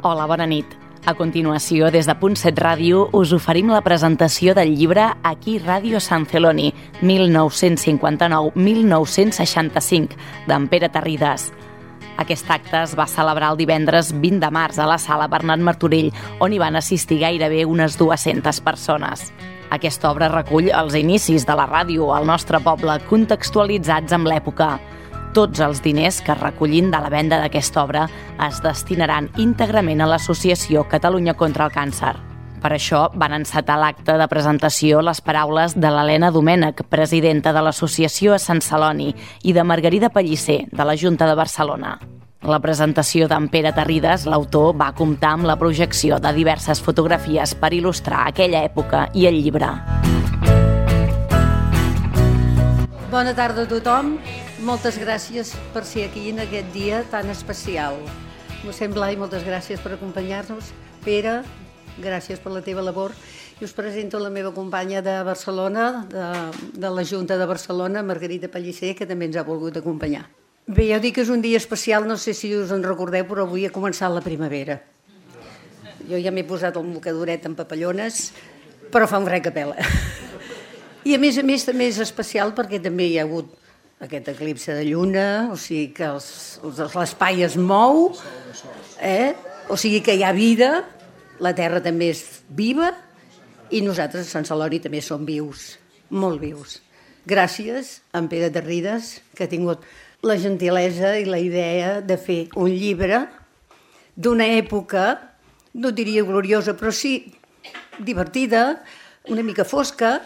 Hola, bona nit. A continuació, des de Punt 7 Ràdio, us oferim la presentació del llibre Aquí Ràdio Sant Celoni, 1959-1965, d'en Pere Tarridas. Aquest acte es va celebrar el divendres 20 de març a la Sala Bernat Martorell, on hi van assistir gairebé unes 200 persones. Aquesta obra recull els inicis de la ràdio al nostre poble, contextualitzats amb l'època. Tots els diners que es recollin de la venda d'aquesta obra es destinaran íntegrament a l'Associació Catalunya contra el Càncer. Per això van encetar l'acte de presentació les paraules de l'Helena Domènech, presidenta de l'Associació a Sant Celoni, i de Margarida Pellicer, de la Junta de Barcelona. La presentació d'en Pere Tarridas, l'autor, va comptar amb la projecció de diverses fotografies per il·lustrar aquella època i el llibre. Bona tarda a tothom. Moltes gràcies per ser aquí en aquest dia tan especial. Mossèn Blai, moltes gràcies per acompanyar-nos. Pere, gràcies per la teva labor. I us presento la meva companya de Barcelona, de la Junta de Barcelona, Margarida Pellicer, que també ens ha volgut acompanyar. Bé, jo dic que és un dia especial, no sé si us en recordeu, però avui ha començat la primavera. Jo ja m'he posat el mocadoret en papallones, però fa un fred que pela. I a més també és especial perquè també hi ha hagut aquest eclipse de lluna, o sigui que l'espai es mou, o sigui que hi ha vida, la Terra també és viva i nosaltres a Sant Celoni també som vius, molt vius. Gràcies a en Pere Tarridas, que ha tingut la gentilesa i la idea de fer un llibre d'una època, no diria gloriosa, però sí divertida, una mica fosca,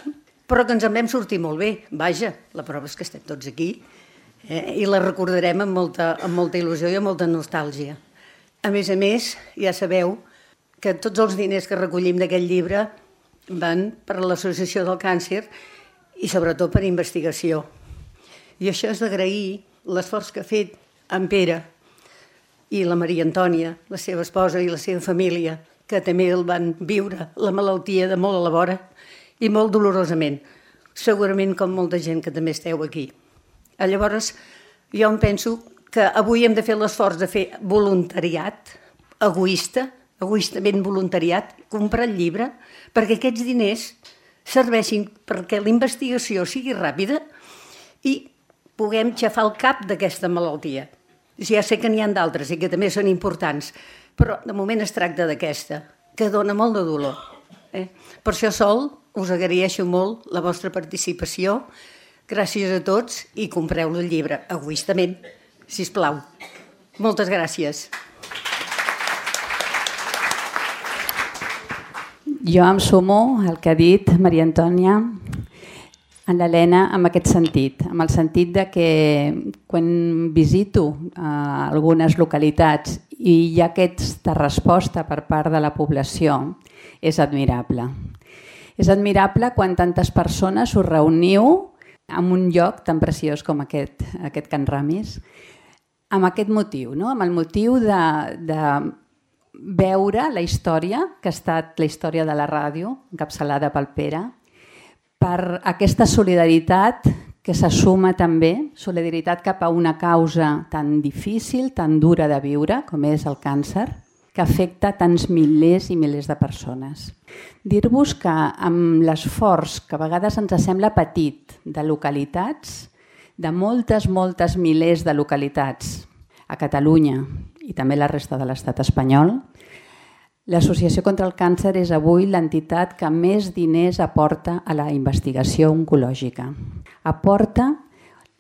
però que ens en vam sortir molt bé. Vaja, la prova és que estem tots aquí i la recordarem amb molta il·lusió i amb molta nostàlgia. A més, ja sabeu que tots els diners que recollim d'aquest llibre van per a l'Associació del Càncer i sobretot per investigació. I això és d'agrair l'esforç que ha fet en Pere i la Maria Antònia, la seva esposa i la seva família, que també el van viure la malaltia de molt a la vora i molt dolorosament, segurament com molta gent que també esteu aquí. Llavors, jo em penso que avui hem de fer l'esforç de fer voluntariat, egoistament voluntariat, comprar el llibre, perquè aquests diners serveixin perquè la investigació sigui ràpida i puguem xafar el cap d'aquesta malaltia. Ja sé que n'hi ha d'altres i que també són importants, però de moment es tracta d'aquesta, que dona molt de dolor. Per això sol us agraeixo molt la vostra participació. Gràcies a tots i compreu el llibre, egoistament, sisplau. Moltes gràcies. Jo em sumo al que ha dit Maria Antònia, en l'Helena, amb aquest sentit, amb el sentit de que quan visito algunes localitats i hi ha aquesta resposta per part de la població, és admirable. És admirable quan tantes persones us reuniu en un lloc tan preciós com aquest Can Ramis, amb aquest motiu, amb el motiu de veure la història, que ha estat la història de la ràdio, encapçalada pel Pere, per aquesta solidaritat que s'assuma també, solidaritat cap a una causa tan difícil, tan dura de viure, com és el càncer, que afecta tants milers i milers de persones. Dir-vos que amb l'esforç, que a vegades ens sembla petit, de localitats, de moltes milers de localitats a Catalunya i també la resta de l'estat espanyol, l'Associació contra el Càncer és avui l'entitat que més diners aporta a la investigació oncològica. Aporta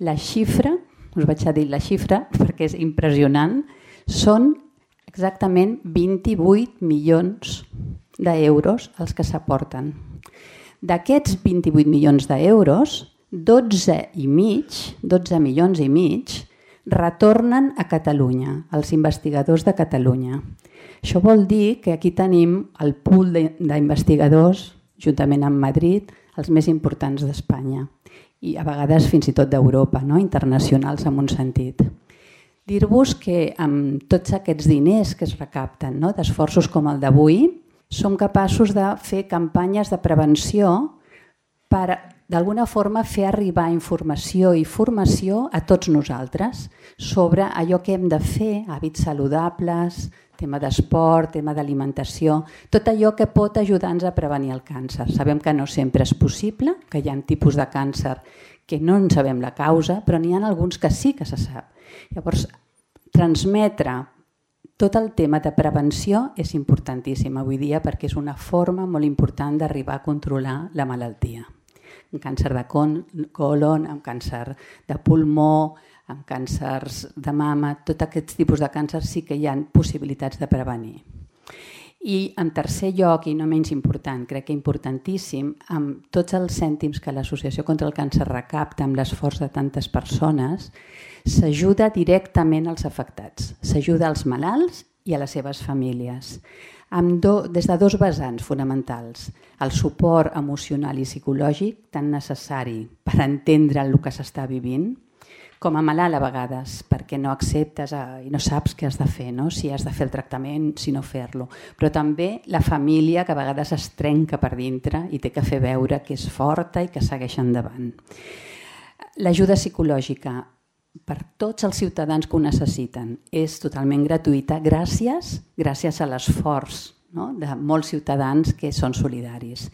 la xifra, us vaig a dir la xifra perquè és impressionant, són exactament 28 milions d'euros els que s'aporten. D'aquests 28 milions d'euros, 12 milions i mig retornen a Catalunya, als investigadors de Catalunya. Això vol dir que aquí tenim el pool d'investigadors, juntament amb Madrid, els més importants d'Espanya i a vegades fins i tot d'Europa, internacionals en un sentit. Dir-vos que amb tots aquests diners que es recapten, d'esforços com el d'avui, som capaços de fer campanyes de prevenció per d'alguna forma fer arribar informació i formació a tots nosaltres sobre allò que hem de fer, hàbits saludables, tema d'esport, tema d'alimentació, tot allò que pot ajudar-nos a prevenir el càncer. Sabem que no sempre és possible, que hi ha tipus de càncer que no en sabem la causa, però n'hi ha alguns que sí que se sap. Llavors, transmetre tot el tema de prevenció és importantíssim avui dia perquè és una forma molt important d'arribar a controlar la malaltia. Amb càncer de colon, amb càncer de pulmó, amb càncers de mama, tots aquests tipus de càncers sí que hi ha possibilitats de prevenir. I en tercer lloc, i no menys important, crec que importantíssim, amb tots els cèntims que l'Associació contra el Càncer recapta amb l'esforç de tantes persones, s'ajuda directament als afectats, s'ajuda als malalts i a les seves famílies, des de dos vessants fonamentals, el suport emocional i psicològic tan necessari per entendre el que s'està vivint, com a malalt a vegades, perquè no acceptes i no saps què has de fer, no? Si has de fer el tractament, si no fer-lo. Però també la família que a vegades es trenca per dintre i té que fer veure que és forta i que segueix endavant. L'ajuda psicològica per tots els ciutadans que ho necessiten és totalment gratuïta gràcies a l'esforç, no? De molts ciutadans que són solidaris.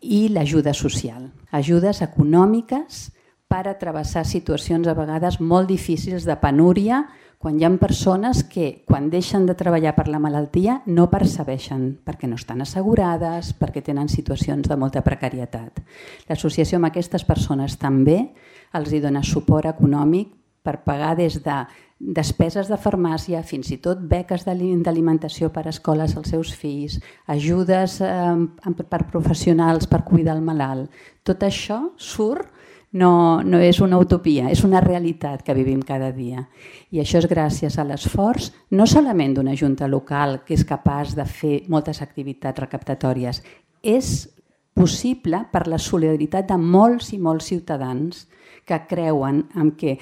I l'ajuda social, ajudes econòmiques per a travessar situacions a vegades molt difícils de penúria, quan hi ha persones que, quan deixen de treballar per la malaltia, no percebeixen, perquè no estan assegurades, perquè tenen situacions de molta precarietat. L'associació amb aquestes persones també els dona suport econòmic per pagar des de despeses de farmàcia, fins i tot beques d'alimentació per a escoles als seus fills, ajudes per professionals per cuidar el malalt. Tot això surt. No és una utopia, és una realitat que vivim cada dia. I això és gràcies a l'esforç no solament d'una junta local que és capaç de fer moltes activitats recaptatòries, és possible per la solidaritat de molts i molts ciutadans que creuen en que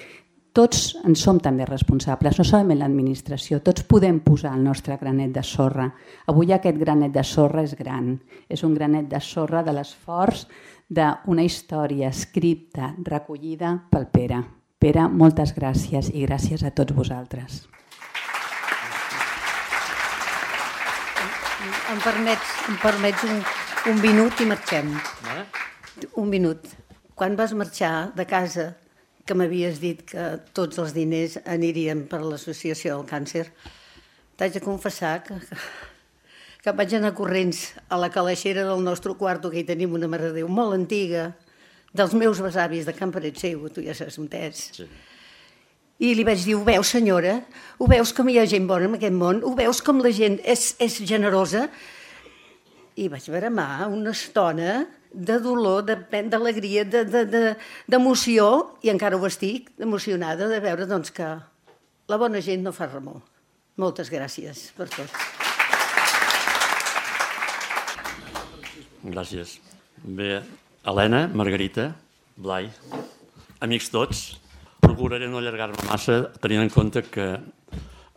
tots en som també responsables, no solament l'administració, tots podem posar el nostre granet de sorra. Avui aquest granet de sorra és gran, és un granet de sorra de l'esforç d'una història escrita, recollida pel Pere. Pere, moltes gràcies i gràcies a tots vosaltres. Em permets un minut i marxem. Un minut. Quan vas marxar de casa, que m'havies dit que tots els diners anirien per l'Associació del Càncer, t'haig de confessar que em vaig anar corrents a la calaixera del nostre quarto, que hi tenim una Mare de Déu molt antiga, dels meus besavis de Can Paret Seu, tu ja saps on és. Sí. I li vaig dir, ho veus, senyora? Ho veus com hi ha gent bona en aquest món? Ho veus com la gent és generosa? I vaig bramar una estona de dolor, d'alegria, d'emoció, i encara ho estic, emocionada de veure doncs, que la bona gent no fa remor. Moltes gràcies per tot. Gràcies. Bé, Helena, Margarita, Blai, amics tots, procuraré no allargar-me massa tenint en compte que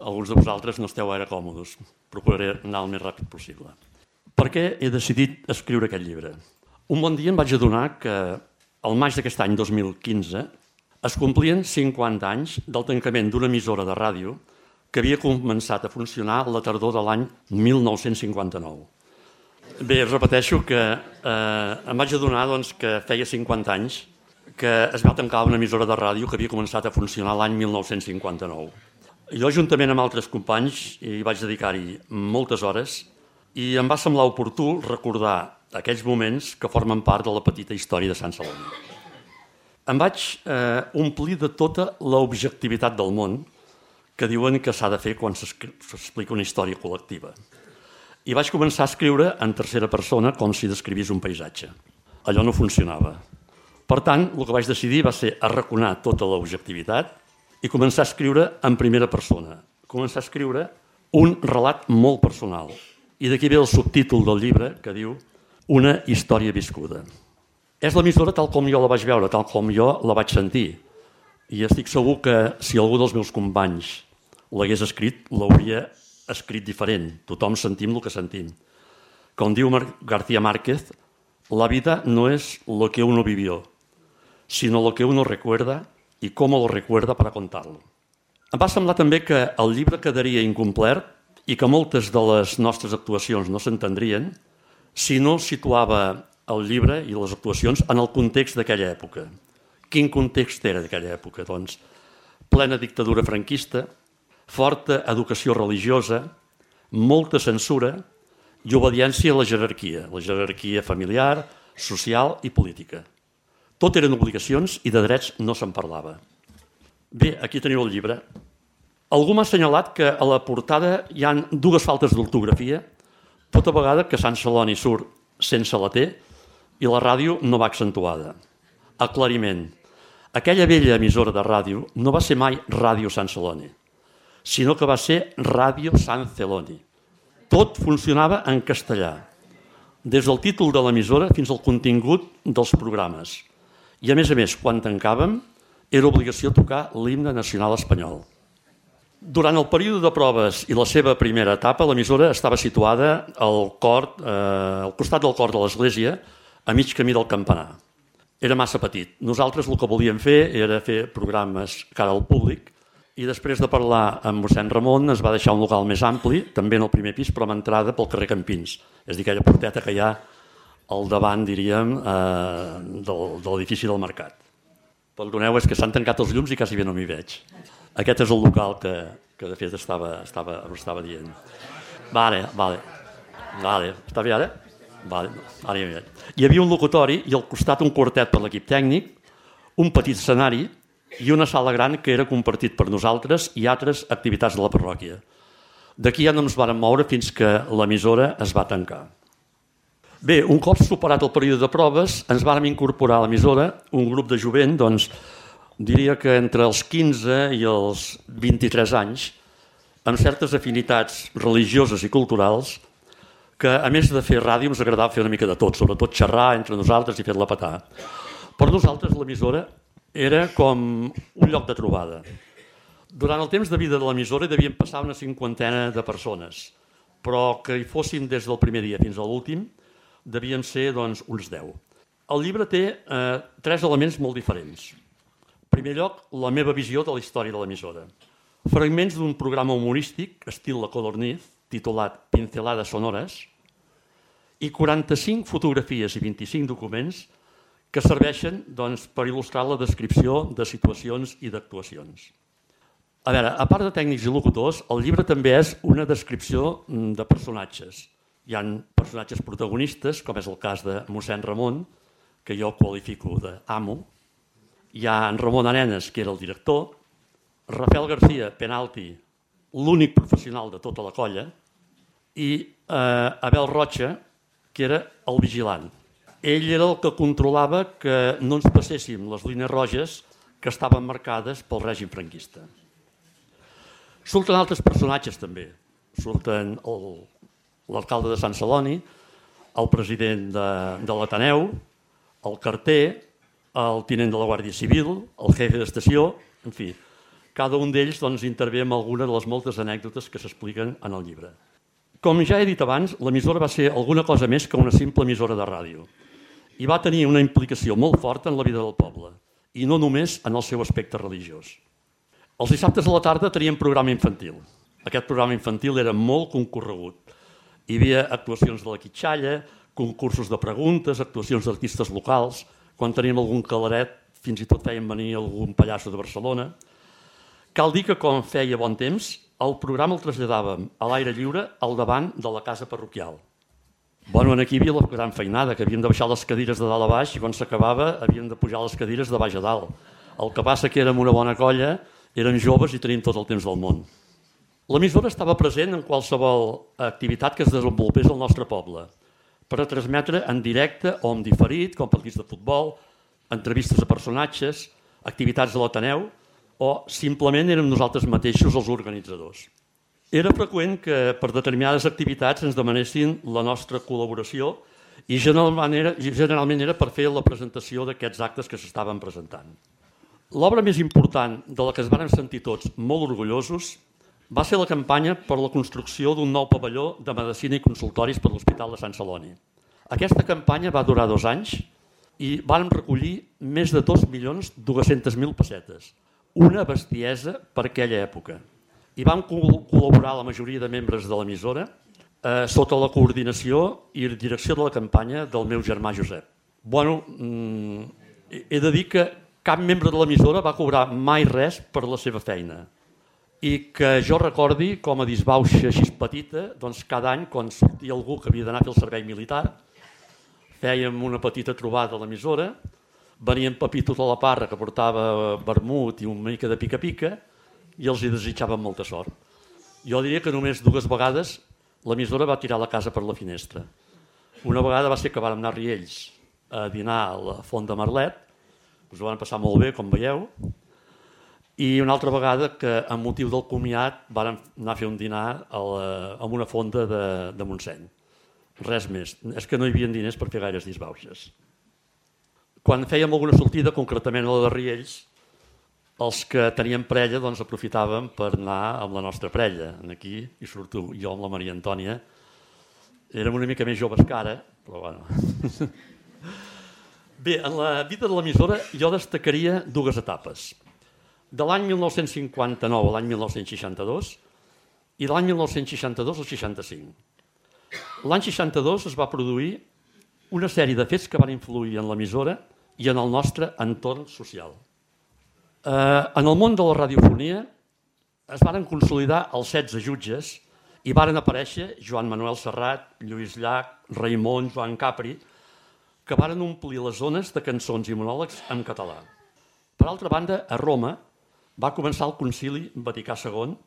alguns de vosaltres no esteu gaire còmodes. Procuraré anar el més ràpid possible. Per què he decidit escriure aquest llibre? Un bon dia em vaig adonar que al maig d'aquest any 2015 es complien 50 anys del tancament d'una emissora de ràdio que havia començat a funcionar a la tardor de l'any 1959. Bé, repeteixo que em vaig adonar que feia 50 anys que es va tancar una emissora de ràdio que havia començat a funcionar l'any 1959. Jo, juntament amb altres companys, hi vaig dedicar-hi moltes hores i em va semblar oportú recordar aquells moments que formen part de la petita història de Sant Celoni. Em vaig omplir de tota l'objectivitat del món que diuen que s'ha de fer quan s'explica una història col·lectiva. I vaig començar a escriure en tercera persona com si descrivís un paisatge. Allò no funcionava. Per tant, el que vaig decidir va ser arraconar tota l'objectivitat i començar a escriure en primera persona. Començar a escriure un relat molt personal. I d'aquí ve el subtítol del llibre que diu Una història viscuda. És l'emissora tal com jo la vaig veure, tal com jo la vaig sentir. I estic segur que si algú dels meus companys l'hagués escrit, l'hauria escrit diferent. Tothom sentim el que sentim. Com diu García Márquez, La vida no es lo que uno vivió, sino lo que uno recuerda y cómo lo recuerda para contarlo. Em va semblar també que el llibre quedaria incomplert i que moltes de les nostres actuacions no s'entendrien si no situava el llibre i les actuacions en el context d'aquella època. Quin context era d'aquella època? Doncs plena dictadura franquista, forta educació religiosa, molta censura i obediència a la jerarquia familiar, social i política. Tot eren obligacions i de drets no se'n parlava. Bé, aquí teniu el llibre. Algú m'ha assenyalat que a la portada hi ha dues faltes d'ortografia, tota vegada que Sant Celoni surt sense la T i la ràdio no va accentuada. Aclariment. Aquella vella emissora de ràdio no va ser mai Ràdio Sant Celoni, sinó que va ser Ràdio Sant Celoni. Tot funcionava en castellà, des del títol de l'emissora fins al contingut dels programes. I a més, quan tancàvem, era obligació tocar l'himne nacional espanyol. Durant el període de proves i la seva primera etapa, l'emissora estava situada al costat del cor de l'església, a mig camí del campanar. Era massa petit. Nosaltres el que volíem fer era fer programes cara al públic i després de parlar amb mossèn Ramon es va deixar un local més ampli, també en el primer pis, però amb entrada pel carrer Campins. És a dir, aquella porteta que hi ha al davant, diríem, de l'edifici del Mercat. Perdoneu, és que s'han tancat els llums i quasi bé no m'hi veig. Aquest és el local que de fet estava dient. Vale. Està bé ara? Vale, ara ja m'hi veig. Hi havia un locutori i al costat un quartet per l'equip tècnic, un petit escenari i una sala gran que era compartit per nosaltres i altres activitats de la parròquia. D'aquí ja no ens vàrem moure fins que l'emissora es va tancar. Bé, un cop superat el període de proves, ens vàrem incorporar a l'emissora un grup de jovent, doncs, diria que entre els 15 i els 23 anys, amb certes afinitats religioses i culturals, que a més de fer ràdio ens agradava fer una mica de tot, sobretot xerrar entre nosaltres i fer-la petar. Per nosaltres l'emissora era com un lloc de trobada. Durant el temps de vida de l'emissora devien passar una 50 de persones, però que hi fóssim des del primer dia fins a l'últim devien ser doncs, uns 10. El llibre té 3 elements molt diferents. En primer lloc, la meva visió de la història de l'emissora. Fragments d'un programa humorístic, estil La Codorniz, titulat Pincelades sonores, i 45 fotografies i 25 documents que serveixen doncs, per il·lustrar la descripció de situacions i d'actuacions. A veure, a part de tècnics i locutors, el llibre també és una descripció de personatges. Hi ha personatges protagonistes, com és el cas de mossèn Ramon, que jo qualifico d'amo. Hi ha en Ramon Arenas, que era el director, Rafael García, penalti, l'únic professional de tota la colla, i Abel Rocha, que era el vigilant. Ell era el que controlava que no ens passéssim les línies roges que estaven marcades pel règim franquista. Surten altres personatges també. Surten l'alcalde de Sant Celoni, el president de l'Ateneu, el carter, el tinent de la Guàrdia Civil, el jefe d'estació, en fi, cada un d'ells doncs, intervé en alguna de les moltes anècdotes que s'expliquen en el llibre. Com ja he dit abans, l'emissora va ser alguna cosa més que una simple emissora de ràdio i va tenir una implicació molt forta en la vida del poble i no només en el seu aspecte religiós. Els dissabtes a la tarda teníem programa infantil. Aquest programa infantil era molt concorregut. Hi havia actuacions de la quitxalla, concursos de preguntes, actuacions d'artistes locals. Quan teníem algun calaret, fins i tot feien venir algun pallasso de Barcelona. Cal dir que, com feia bon temps, el programa el traslladàvem a l'aire lliure al davant de la casa parroquial. Bueno, aquí hi havia la gran feinada, que havíem de baixar les cadires de dalt a baix i quan s'acabava havíem de pujar les cadires de baix a dalt. El que passa que érem una bona colla, érem joves i teníem tot el temps del món. L'emissora estava present en qualsevol activitat que es desenvolupés al nostre poble, per a transmetre en directe o en diferit, com partits de futbol, entrevistes a personatges, activitats de l'Ateneu, o simplement érem nosaltres mateixos els organitzadors. Era freqüent que per determinades activitats ens demanessin la nostra col·laboració i generalment era per fer la presentació d'aquests actes que s'estaven presentant. L'obra més important de la que es van sentir tots molt orgullosos va ser la campanya per la construcció d'un nou pavelló de medicina i consultoris per l'Hospital de Sant Celoni. Aquesta campanya va durar 2 anys i vam recollir més de 2.200.000 pessetes, una bestiesa per aquella època. I vam col·laborar la majoria de membres de l'emissora sota la coordinació i direcció de la campanya del meu germà Josep. Bueno, he de dir que cap membre de l'emissora va cobrar mai res per la seva feina i que jo recordi com a disbauxa així petita, doncs cada any quan sortia algú que havia d'anar a fer el servei militar fèiem una petita trobada a l'emissora, venia en Pepito de la Parra que portava vermut i una mica de pica-pica i els hi desitjàvem molta sort. Jo diria que només 2 vegades l'emissora va tirar la casa per la finestra. Una vegada va ser que vam anar a Riells a dinar a la Font de Merlet, us ho van passar molt bé, com veieu, i una altra vegada que, amb motiu del comiat, vam anar a fer un dinar en una fonda de Montseny. Res més. És que no hi havia diners per fer gaires disbauxes. Quan fèiem alguna sortida, concretament a la de Riells, els que teníem parella doncs, aprofitàvem per anar amb la nostra parella. Aquí hi surto jo amb la Maria Antònia. Érem una mica més joves que ara, però bueno. Bé, en la vida de l'emissora jo destacaria 2 etapes. De l'any 1959 a l'any 1962 i de l'any 1962 al 65. L'any 62 es va produir una sèrie de fets que van influir en l'emissora i en el nostre entorn social. En el món de la radiofonia es varen consolidar els 16 jutges i varen aparèixer Joan Manuel Serrat, Lluís Llach, Raimon, Joan Capri, que varen omplir les zones de cançons i monòlegs en català. Per altra banda, a Roma va començar el Concili Vaticà II,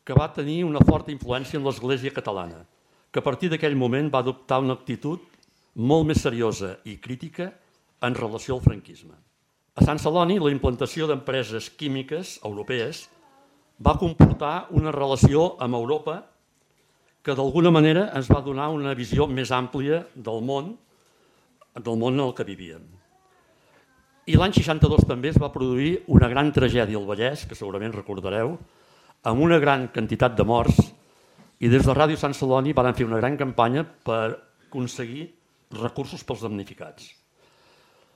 que va tenir una forta influència en l'Església catalana, que a partir d'aquell moment va adoptar una actitud molt més seriosa i crítica en relació al franquisme. A Sant Celoni, la implantació d'empreses químiques europees va comportar una relació amb Europa que d'alguna manera ens va donar una visió més àmplia del món en el que vivíem. I l'any 62 també es va produir una gran tragèdia al Vallès, que segurament recordareu, amb una gran quantitat de morts, i des de Ràdio Sant Celoni van fer una gran campanya per aconseguir recursos pels damnificats.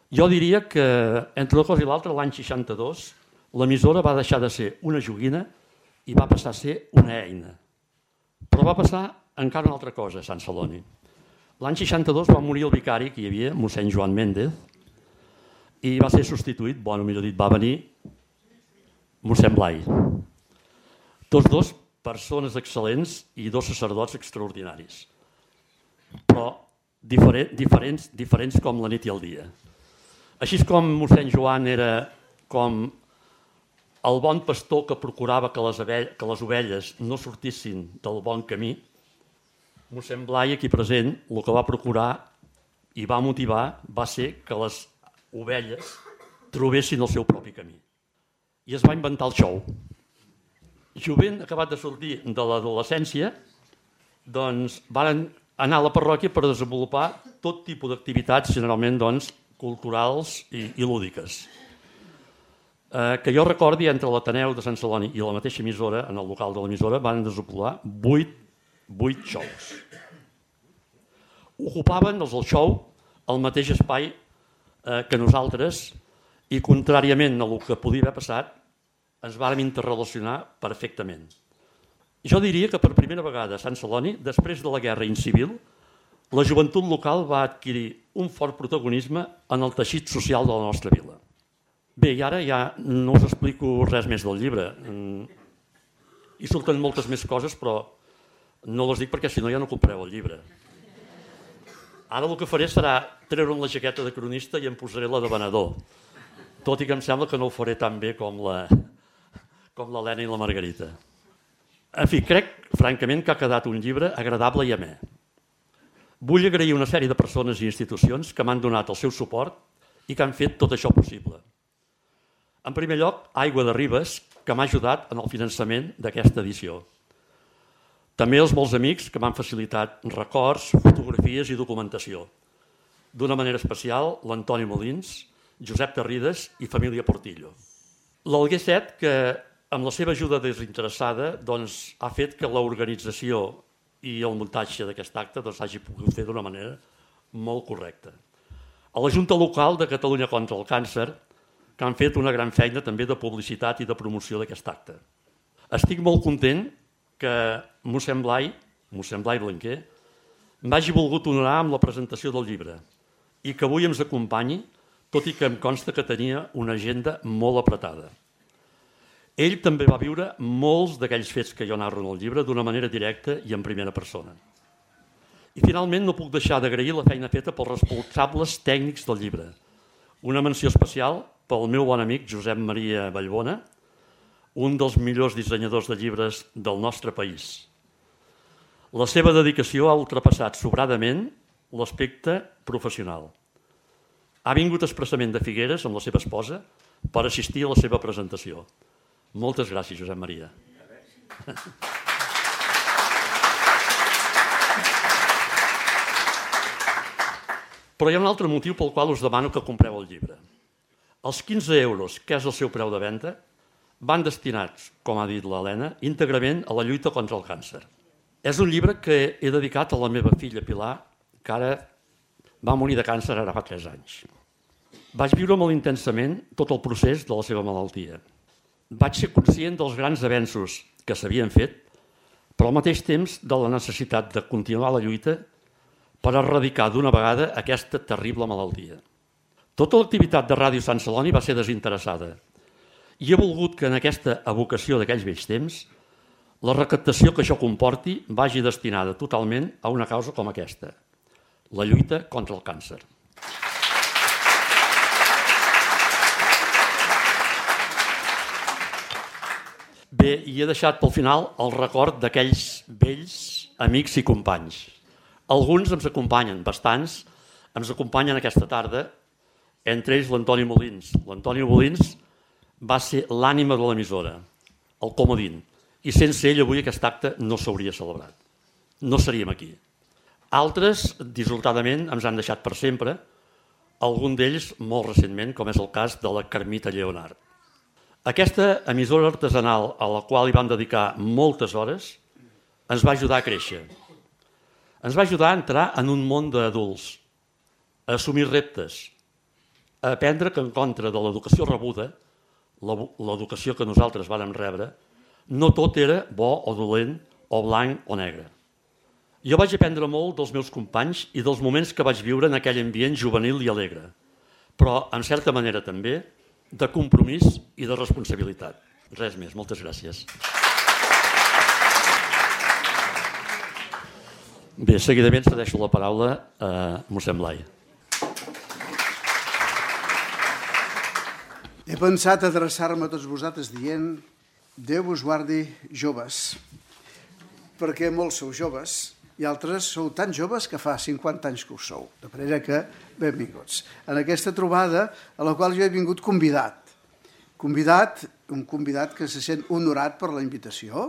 Jo diria que, entre una cosa i l'altra, l'any 62, l'emissora va deixar de ser una joguina i va passar a ser una eina. Però va passar encara una altra cosa a Sant Celoni. L'any 62 va morir el vicari que hi havia, mossèn Joan Méndez, i va ser substituït, millor dit, va venir mossèn Blai. Tots 2 persones excel·lents i 2 sacerdots extraordinaris, però diferents com la nit i el dia. Així com mossèn Joan era com el bon pastor que procurava que les ovelles no sortissin del bon camí, mossèn Blai, aquí present, el que va procurar i va motivar va ser que les ovelles trobessin el seu propi camí. I es va inventar el xou. Jovent acabat de sortir de l'adolescència, doncs van anar a la parròquia per desenvolupar tot tipus d'activitats, generalment culturals i lúdiques. Que jo recordi, entre l'Ateneu de Sant Celoni i la mateixa emissora, en el local de l'emissora, van desenvolupar 8 xous. Ocupaven els del xou el mateix espai que nosaltres i, contràriament a el que podia haver passat, ens vàrem interrelacionar perfectament. Jo diria que per primera vegada a Sant Celoni, després de la guerra incivil, la joventut local va adquirir un fort protagonisme en el teixit social de la nostra vila. Bé, i ara ja no us explico res més del llibre. Hi surten moltes més coses, però no les dic perquè si no ja no compreu el llibre. Ara el que faré serà treure'n la jaqueta de cronista i em posaré la de venedor, tot i que em sembla que no ho faré tan bé com l'Helena i la Margarita. En fi, crec, francament, que ha quedat un llibre agradable i amè. Vull agrair una sèrie de persones i institucions que m'han donat el seu suport i que han fet tot això possible. En primer lloc, Aigua de Ribes, que m'ha ajudat en el finançament d'aquesta edició. També els molts amics que m'han facilitat records, fotografies i documentació. D'una manera especial, l'Antoni Molins, Josep Tarrides i família Portillo. L'Alguer Set, que amb la seva ajuda desinteressada ha fet que l'organització i el muntatge d'aquest acte s'hagi pogut fer d'una manera molt correcte. A la Junta Local de Catalunya contra el Càncer, que han fet una gran feina també de publicitat i de promoció d'aquest acte. Estic molt content que mossèn Blai Blanquer m'hagi volgut honorar amb la presentació del llibre i que avui ens acompanyi, tot i que em consta que tenia una agenda molt apretada. Ell també va viure molts d'aquells fets que jo narro en el llibre d'una manera directa i en primera persona. I finalment no puc deixar d'agrair la feina feta pels responsables tècnics del llibre. Una menció especial pel meu bon amic Josep Maria Vallbona, un dels millors dissenyadors de llibres del nostre país. La seva dedicació ha ultrapassat sobradament l'aspecte professional. Ha vingut expressament de Figueres amb la seva esposa per assistir a la seva presentació. Moltes gràcies, Josep Maria. Però hi ha un altre motiu pel qual us demano que compreu el llibre. Els 15 euros, que és el seu preu de venda, van destinats, com ha dit l'Helena, íntegrament a la lluita contra el càncer. És un llibre que he dedicat a la meva filla Pilar, que ara va morir de càncer ara fa 3 anys. Vaig viure molt intensament tot el procés de la seva malaltia. Vaig ser conscient dels grans avenços que s'havien fet, però al mateix temps de la necessitat de continuar la lluita per erradicar d'una vegada aquesta terrible malaltia. Tota l'activitat de Ràdio Sant Celoni va ser desinteressada i he volgut que en aquesta evocació d'aquells vells temps la recaptació que això comporti vagi destinada totalment a una causa com aquesta, la lluita contra el càncer. Bé, i he deixat pel final el record d'aquells vells amics i companys. Alguns ens acompanyen, bastants, ens acompanyen aquesta tarda, entre ells l'Antoni Molins. L'Antoni Molins va ser l'ànima de l'emissora, el comodín, i sense ell avui aquest acte no s'hauria celebrat. No seríem aquí. Altres, dissortadament, ens han deixat per sempre, algun d'ells molt recentment, com és el cas de la Carmita Lleonard. Aquesta emissora artesanal a la qual hi vam dedicar moltes hores ens va ajudar a créixer. Ens va ajudar a entrar en un món d'adults, a assumir reptes, a aprendre que en contra de l'educació rebuda, l'educació que nosaltres vàrem rebre, no tot era bo o dolent, o blanc o negre. Jo vaig aprendre molt dels meus companys i dels moments que vaig viure en aquell ambient juvenil i alegre, però, en certa manera també, de compromís i de responsabilitat. Res més, moltes gràcies. Bé, seguidament cedeixo la paraula a mossèn Blai. He pensat adreçar-me a tots vosaltres dient Déu vos guardi joves, perquè molts sou joves i altres sou tan joves que fa 50 anys que ho sou. De manera que, benvinguts. En aquesta trobada a la qual jo he vingut convidat. Un convidat que se sent honorat per la invitació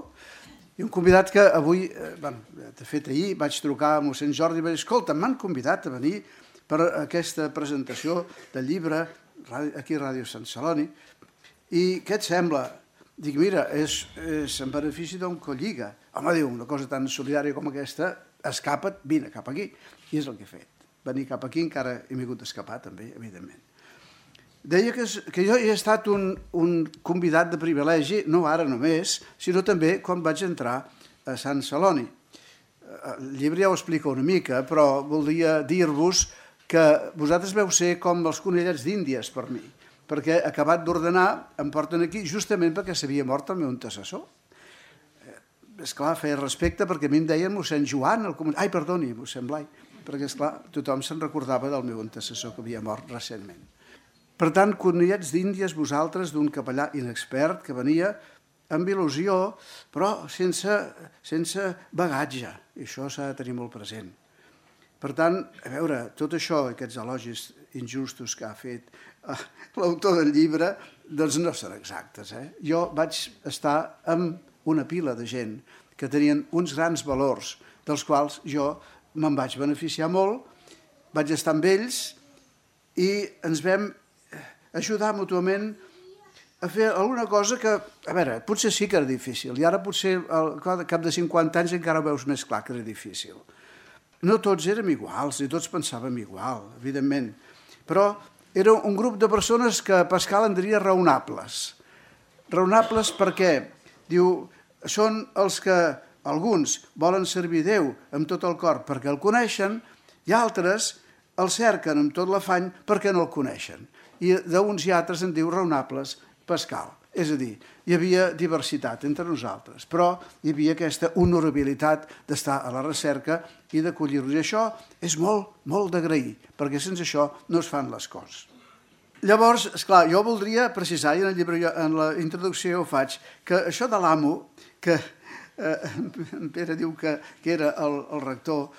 i un convidat que avui, de fet ahir, vaig trucar a mossèn Jordi i vaig dir, escolta, m'han convidat a venir per aquesta presentació del llibre aquí a Ràdio Sant Celoni i què et sembla? Dic, mira, és en benefici d'un colliga. Home, diu, una cosa tan solidària com aquesta, escapa't, vine cap aquí. I és el que he fet. Venir cap aquí encara he vingut d'escapar també, evidentment. Deia que jo he estat un convidat de privilegi, no ara només, sinó també quan vaig entrar a Sant Celoni. El llibre ja ho explica una mica, però voldria dir-vos que vosaltres veu ser com els conellets d'Índies per mi, perquè acabat d'ordenar em porten aquí justament perquè s'havia mort el meu antecessor. Esclar, feia respecte perquè a mi em deien mossèn Joan, mossèn Blai, perquè esclar, tothom se'n recordava del meu antecessor que havia mort recentment. Per tant, conellets d'Índies vosaltres d'un capellà inexpert que venia amb il·lusió, però sense bagatge, i això s'ha de tenir molt present. Per tant, a veure, tot això, aquests elogis injustos que ha fet l'autor del llibre, doncs no són exactes. Jo vaig estar amb una pila de gent que tenien uns grans valors, dels quals jo me'n vaig beneficiar molt, vaig estar amb ells i ens vam ajudar mútuament a fer alguna cosa que, a veure, potser sí que era difícil, i ara potser al cap de 50 anys encara ho veus més clar que era difícil. No tots érem iguals, ni tots pensàvem igual, evidentment, però era un grup de persones que Pascal en diria raonables. Raonables perquè, diu, són els que alguns volen servir Déu amb tot el cor perquè el coneixen i altres el cerquen amb tot l'afany perquè no el coneixen. I d'uns i altres en diu raonables Pascal. És a dir, hi havia diversitat entre nosaltres, però hi havia aquesta honorabilitat d'estar a la recerca i d'acollir-los. I això és molt, molt d'agrair, perquè sense això no es fan les coses. Llavors, esclar, jo voldria precisar, i en el llibre, en la introducció ho faig, que això de l'amo, que en Pere diu que era el rector,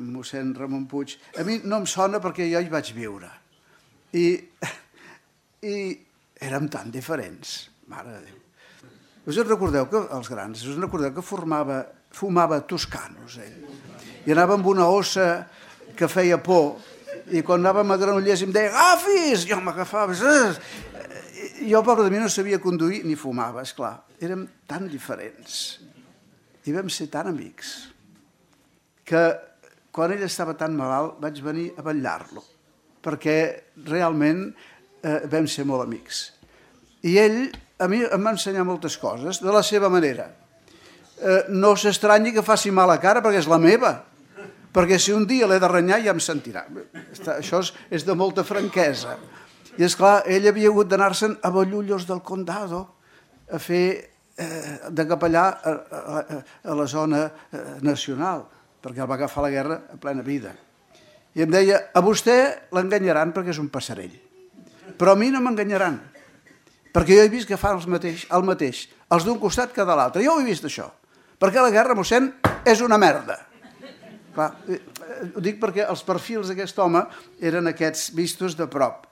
mossèn Ramon Puig, a mi no em sona perquè jo hi vaig viure. I érem tan diferents, mare de Déu. Us en recordeu que, els grans, us en recordeu que fumava toscanos, ell? I anava amb una ossa que feia por, i quan anàvem a Granollers em deia, agafis! Jo m'agafava. Jo, pobre de mi, no sabia conduir ni fumava, esclar. Érem tan diferents. I vam ser tan amics que quan ell estava tan malalt vaig venir a vetllar-lo, perquè realment vam ser molt amics. I ell a mi em va ensenyar moltes coses de la seva manera. No s'estranyi que faci mala cara perquè és la meva, perquè si un dia l'he de renyar ja em sentirà. Això és de molta franquesa. I esclar, ell havia hagut d'anar-se'n a Ballullos del Condado a fer de capellà a la zona nacional, perquè el va agafar la guerra a plena vida. I em deia, a vostè l'enganyaran perquè és un passarell, però a mi no m'enganyaran, perquè jo he vist que fan el mateix, els d'un costat que de l'altre. Jo ho he vist, això, perquè la guerra, mossèn, és una merda. Clar, ho dic perquè els perfils d'aquest home eren aquests vistos de prop.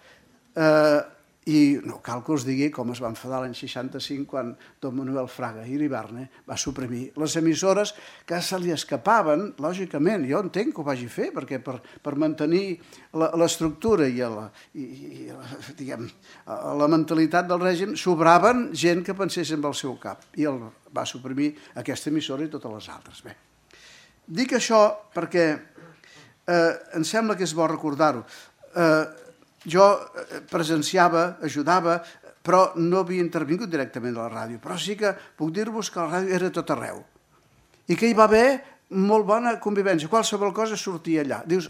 I no cal que us digui com es va enfadar l'any 65 quan don Manuel Fraga Iribarne va suprimir les emissores que se li escapaven, lògicament. Jo entenc que ho vagi fer, perquè per mantenir l'estructura i la mentalitat del règim sobraven gent que pensés amb el seu cap, i el va suprimir aquesta emissora i totes les altres. Bé, dic això perquè em sembla que és bo recordar-ho. Jo presenciava, ajudava, però no havia intervingut directament a la ràdio. Però sí que puc dir-vos que la ràdio era tot arreu i que hi va haver molt bona convivència. Qualsevol cosa sortia allà. Dius,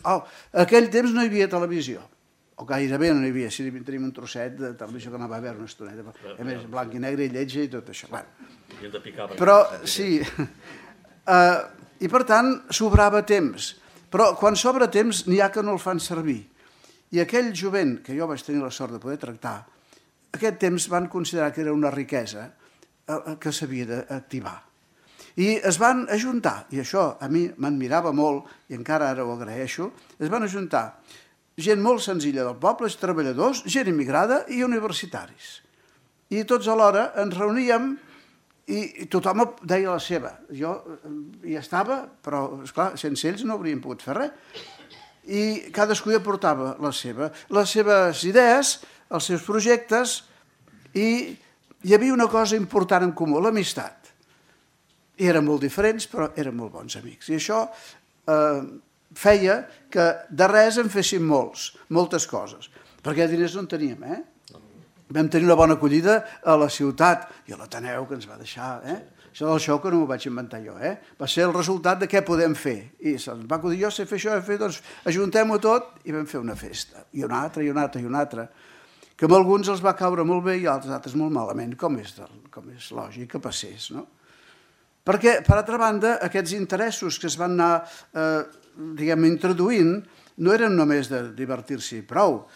aquell temps no hi havia televisió, o gairebé no hi havia. Si tenim un trosset de televisió que anava a veure una estoneta, a més, blanc i negre i lletja i tot això. Però sí, i per tant sobrava temps. Però quan sobra temps n'hi ha que no el fan servir. I aquell jovent, que jo vaig tenir la sort de poder tractar, aquest temps van considerar que era una riquesa que s'havia d'activar. I es van ajuntar, i això a mi m'admirava molt, i encara ara ho agraeixo, es van ajuntar gent molt senzilla del poble, treballadors, gent immigrada i universitaris. I tots alhora ens reuníem i tothom deia la seva. Jo hi estava, però, esclar, sense ells no hauríem pogut fer res. I cadascú hi aportava les seves idees, els seus projectes, i hi havia una cosa important en comú, l'amistat. I eren molt diferents, però eren molt bons amics. I això feia que de res en féssim moltes coses, perquè diners no en teníem, Vam tenir una bona acollida a la ciutat i a l'Ateneu, que ens va deixar, Això del show que no m'ho vaig inventar jo, Va ser el resultat de què podem fer. I se'ns va acudir, jo sé fer això, doncs ajuntem-ho tot i vam fer una festa. I una altra, i una altra, i una altra. Que a alguns els va caure molt bé i a altres molt malament, com és lògic que passés, no? Perquè, per altra banda, aquests interessos que es van anar, introduint, no eren només de divertir-s'hi prou,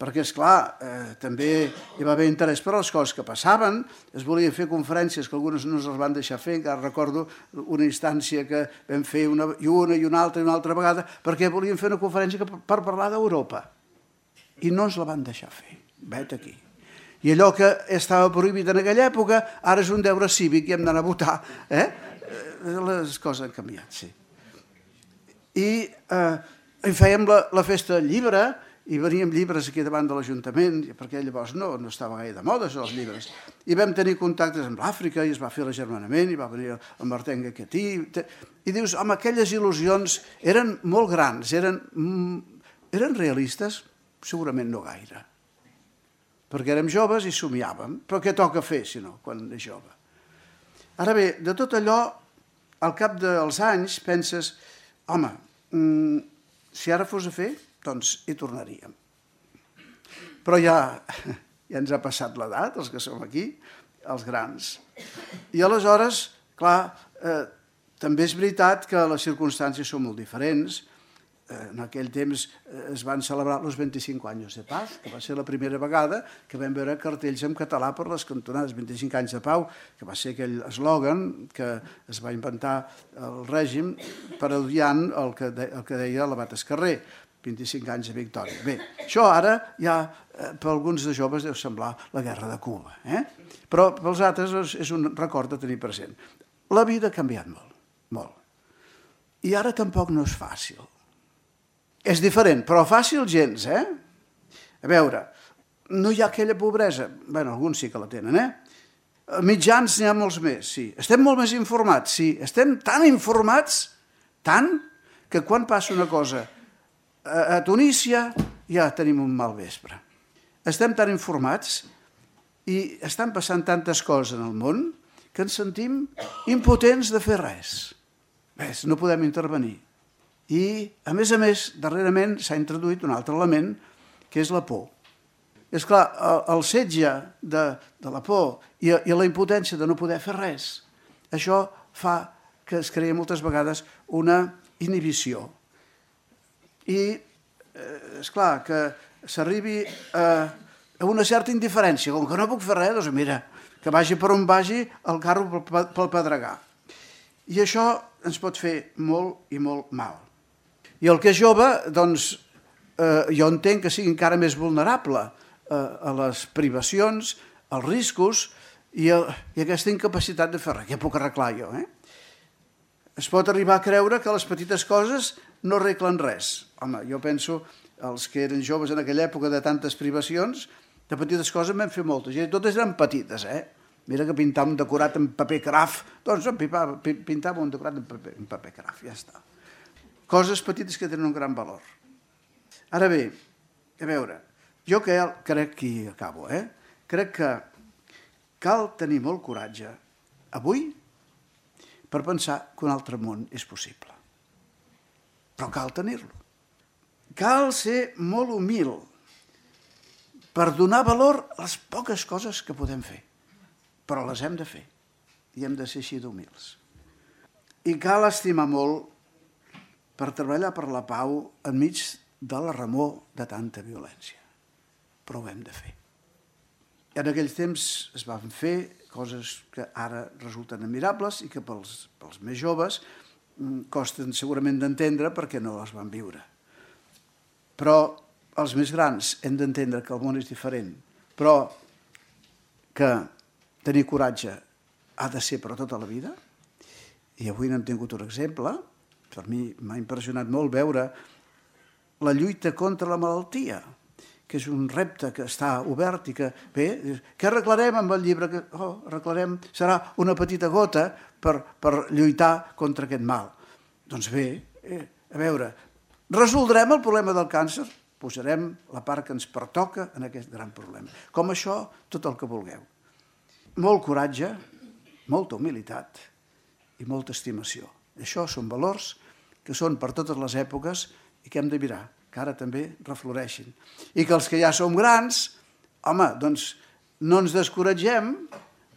perquè, esclar, també hi va haver interès per les coses que passaven, es volien fer conferències que algunes no es van deixar fer, encara recordo una instància que vam fer una i una altra vegada, perquè volien fer una conferència per parlar d'Europa, i no ens la van deixar fer, vet aquí. I allò que estava prohibit en aquella època, ara és un deure cívic i hem d'anar a votar, Les coses han canviat, sí. I fèiem la festa del llibre, i veníem llibres aquí davant de l'Ajuntament, perquè llavors no estava gaire de moda, els llibres. I vam tenir contactes amb l'Àfrica, i es va fer l'agermanament, i va venir el Martin Guequetí, i dius, home, aquelles il·lusions eren molt grans, eren realistes? Segurament no gaire. Perquè érem joves i somiàvem. Però què toca fer, si no, quan és jove? Ara bé, de tot allò, al cap dels anys penses, home, si ara fos a fer, doncs hi tornaríem. Però ja ens ha passat l'edat, els que som aquí, els grans. I aleshores, clar, també és veritat que les circumstàncies són molt diferents. En aquell temps es van celebrar els 25 anys de pau, que va ser la primera vegada que vam veure cartells en català per les cantonades, 25 anys de pau, que va ser aquell eslògan que es va inventar el règim parodiant el que deia l'abat Escarrer, 25 anys de victòria. Bé, això ara ja per alguns de joves deu semblar la guerra de Cuba, però pels altres és un record de tenir present. La vida ha canviat molt, molt. I ara tampoc no és fàcil. És diferent, però fàcil gens, A veure, no hi ha aquella pobresa. Bé, alguns sí que la tenen, Mitjans n'hi ha molts més, sí. Estem molt més informats, sí. Estem tan informats, tant, que quan passa una cosa a Tunísia ja tenim un mal vespre. Estem tan informats i estan passant tantes coses en el món que ens sentim impotents de fer res. Ves, no podem intervenir. I, a més, darrerament s'ha introduït un altre element, que és la por. És clar, el setge de la por i la impotència de no poder fer res, això fa que es creï moltes vegades una inhibició. I, és clar, que s'arribi a una certa indiferència. Com que no puc fer res, doncs mira, que vagi per on vagi el carro pel pedregar. I això ens pot fer molt i molt mal. I el que és jove, doncs, jo entenc que sigui encara més vulnerable a les privacions, als riscos i a aquesta incapacitat de fer res. Què puc arreglar jo, Es pot arribar a creure que les petites coses no arreglen res. Home, jo penso, els que eren joves en aquella època de tantes privacions, de petites coses en vam fer moltes, i totes eren petites, Mira que pintar un decorat en paper craft, doncs pintava un decorat en paper craft, ja està. Coses petites que tenen un gran valor. Ara bé, a veure, jo crec que hi acabo, crec que cal tenir molt coratge avui per pensar que un altre món és possible. Però cal tenir-lo. Cal ser molt humil per donar valor a les poques coses que podem fer. Però les hem de fer i hem de ser així d'humils. I cal estimar molt per treballar per la pau enmig de la remor de tanta violència. Però ho hem de fer. En aquells temps es van fer coses que ara resulten admirables i que pels més joves costen segurament d'entendre perquè no les van viure. Però els més grans hem d'entendre que el món és diferent, però que tenir coratge ha de ser per tota la vida. I avui n'hem tingut un exemple. Per mi m'ha impressionat molt veure la lluita contra la malaltia, que és un repte que està obert i que, bé, què arreglarem amb el llibre? Arreglarem, serà una petita gota per lluitar contra aquest mal. Doncs bé, a veure, resoldrem el problema del càncer? Posarem la part que ens pertoca en aquest gran problema. Com això, tot el que vulgueu. Molt coratge, molta humilitat i molta estimació. Això són valors que són per totes les èpoques i que hem de mirar, que ara també refloreixin. I que els que ja som grans, home, doncs no ens descoratgem,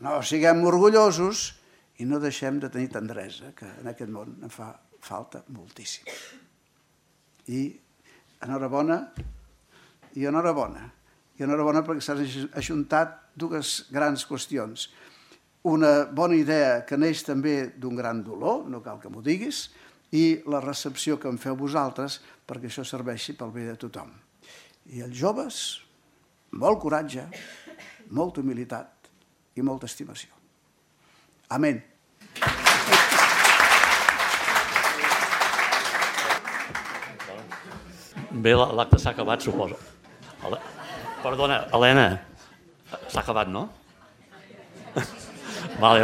no siguem orgullosos i no deixem de tenir tendresa, que en aquest món en fa falta moltíssim. I enhorabona, i enhorabona. I enhorabona perquè s'han ajuntat dues grans qüestions. Una bona idea que neix també d'un gran dolor, no cal que m'ho diguis, i la recepció que em feu vosaltres perquè això serveixi pel bé de tothom. I els joves, molt coratge, molta humilitat i molta estimació. Amén. Bé, l'acte s'ha acabat, suposo. Perdona, Helena, s'ha acabat, no? Vale.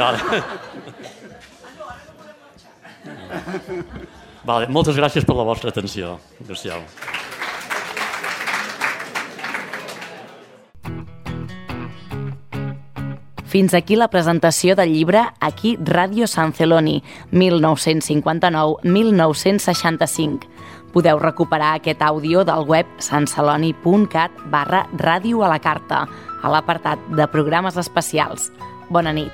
Moltes gràcies per la vostra atenció. Adéu-siau. Fins aquí la presentació del llibre Aquí Ràdio Sant Celoni, 1959-1965. Podeu recuperar aquest àudio del web santceloni.cat/ràdio a la carta, a l'apartat de programes especials. Bona nit.